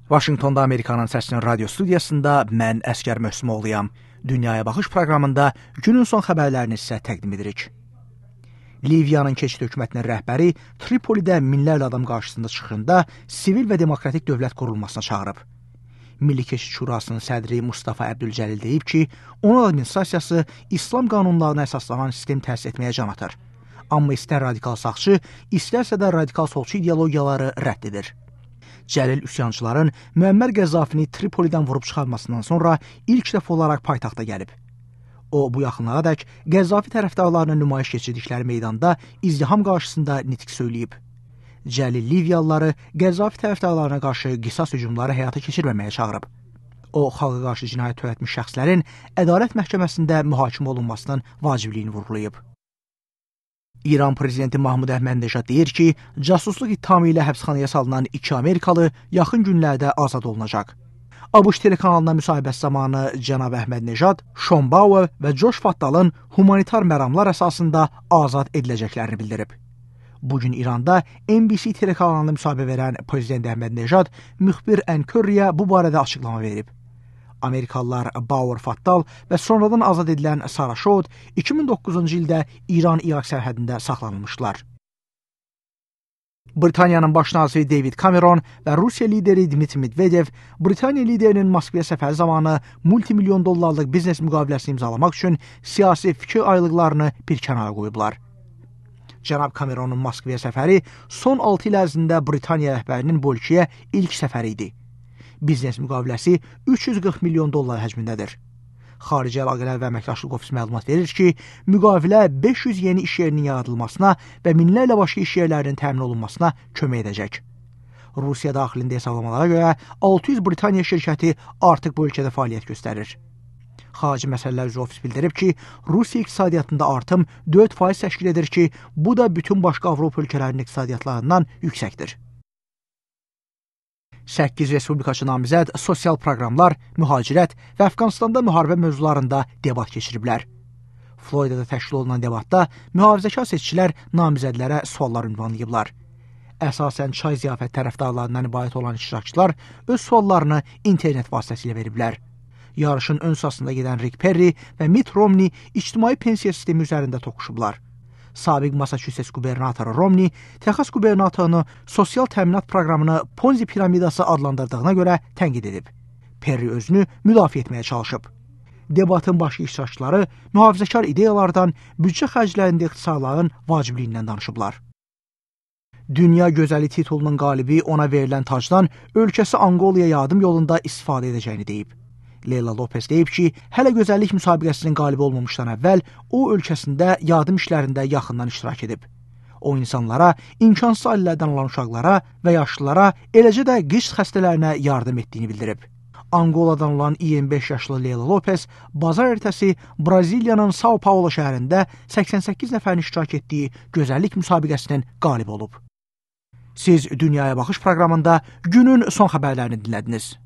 Vaşinqtonda Amerikanın Səsinin radio studiyasında mən Əsgər Möhsümoğluyam. Dünyaya Baxış proqramında günün son xəbərlərini sizə təqdim edirik. Liviyanın keçid hökumətinin rəhbəri Tripolidə minlərlə adam qarşısında çıxışında sivil və demokratik dövlət qurulmasına çağırıb. Milli Keçid Şurasının sədri Mustafa Əbdülcəlil deyib ki, onun administrasiyası İslam qanunlarına əsaslanan sistem təsis etməyə can atır. Amma istər radikal sağçı, istərsə də radikal solçu ideologiyaları rədd edir. Cəlil üsyançıların Müəmmər Qəzzafini Tripolidən vurub çıxarmasından sonra ilk dəfə olaraq paytaxta gəlib. O, bu yaxınlığa dək Qəzzafi tərəfdarlarının nümayiş keçirdikləri meydanda izdiham qarşısında nitq söyləyib. Cəlil Liviyalıları Qəzzafi tərəfdarlarına qarşı qisas hücumları həyata keçirməməyə çağırıb. O, xalqa qarşı cinayət törətmiş şəxslərin ədalət məhkəməsində mühakimə olunmasının vacibliyini vurğulayıb. İran prezidenti Mahmud Əhməd-Neşad deyir ki, casusluq ittihamı ilə həbsxanaya salınan 2 Amerikalı yaxın günlərdə azad olunacaq. ABŞ telekanalına müsahibəsi zamanı cənab Əhməd-Neşad, Sean Bauer və Josh Fattalın humanitar məramlar əsasında azad ediləcəklərini bildirib. Bugün İranda NBC telekanalına müsahibə verən prezident Əhməd-Neşad müxbir Ən-Körriyə bu barədə açıqlama verib. Amerikalılar Bauer Fattal və sonradan azad edilən Sara Şod 2009-cu ildə İran-İraq sərhədində saxlanılmışlar. Britaniyanın baş naziri David Cameron və Rusiya lideri Dmitri Medvedev Britaniya liderinin Moskvaya səfəri zamanı multimilyon dollarlıq biznes müqaviləsini imzalamaq üçün siyasi fikir ayrılıqlarını bir kənara qoyublar. Cənab Cameronun Moskvaya səfəri son 6 il ərzində Britaniya rəhbərinin bu ölkəyə ilk səfəri idi. Biznes müqaviləsi 340 milyon dollar həcmindədir. Xarici Əlaqələr və Əməkdaşlıq Ofisi məlumat verir ki, müqavilə 500 yeni iş yerinin yaradılmasına və minlərlə başqa iş yerlərinin təmin olunmasına kömək edəcək. Rusiya daxilində hesablamalara görə 600 Britaniya şirkəti artıq bu ölkədə fəaliyyət göstərir. Xarici Məsələlər üzrə Ofis bildirib ki, Rusiya iqtisadiyyatında artım 4% təşkil edir ki, bu da bütün başqa Avropa ölkələrinin iqtisadiyyatlarından yüksəkdir. 8 respublikaçı namizəd sosial proqramlar, mühacirət və Əfqanistanda müharibə mövzularında debat keçiriblər. Floridada təşkil olunan debatda mühafizəkar seçicilər namizədlərə suallar ünvanlayıblar. Əsasən çay ziyafət tərəfdarlarından ibarət olan iştirakçılar öz suallarını internet vasitəsilə veriblər. Yarışın ön sırasında gedən Rick Perry və Mitt Romney ictimai pensiya sistemi üzərində toqquşublar. Sabiq Massachusetts qubernatoru Romney, Texas qubernatorunu sosial təminat proqramını Ponzi piramidası adlandırdığına görə tənqid edib. Perry özünü müdafiə etməyə çalışıb. Debatın başqa iştirakçıları mühafizəkar ideyalardan, büdcə xərclərində ixtisarların vacibliyindən danışıblar. Dünya gözəli titulunun qalibi ona verilən tacdan ölkəsi Angolaya yardım yolunda istifadə edəcəyini deyib. Leyla Lopez deyib ki, hələ gözəllik müsabiqəsinin qalibi olmamışdan əvvəl o ölkəsində yardım işlərində yaxından iştirak edib. O insanlara, imkansız ailələrdən olan uşaqlara və yaşlılara, eləcə də qış xəstələrinə yardım etdiyini bildirib. Angoladan olan 25 yaşlı Leyla Lopez bazar ertəsi Braziliyanın São Paulo şəhərində 88 nəfərin iştirak etdiyi gözəllik müsabiqəsinin qalibi olub. Siz Dünyaya Baxış proqramında günün son xəbərlərini dinlədiniz.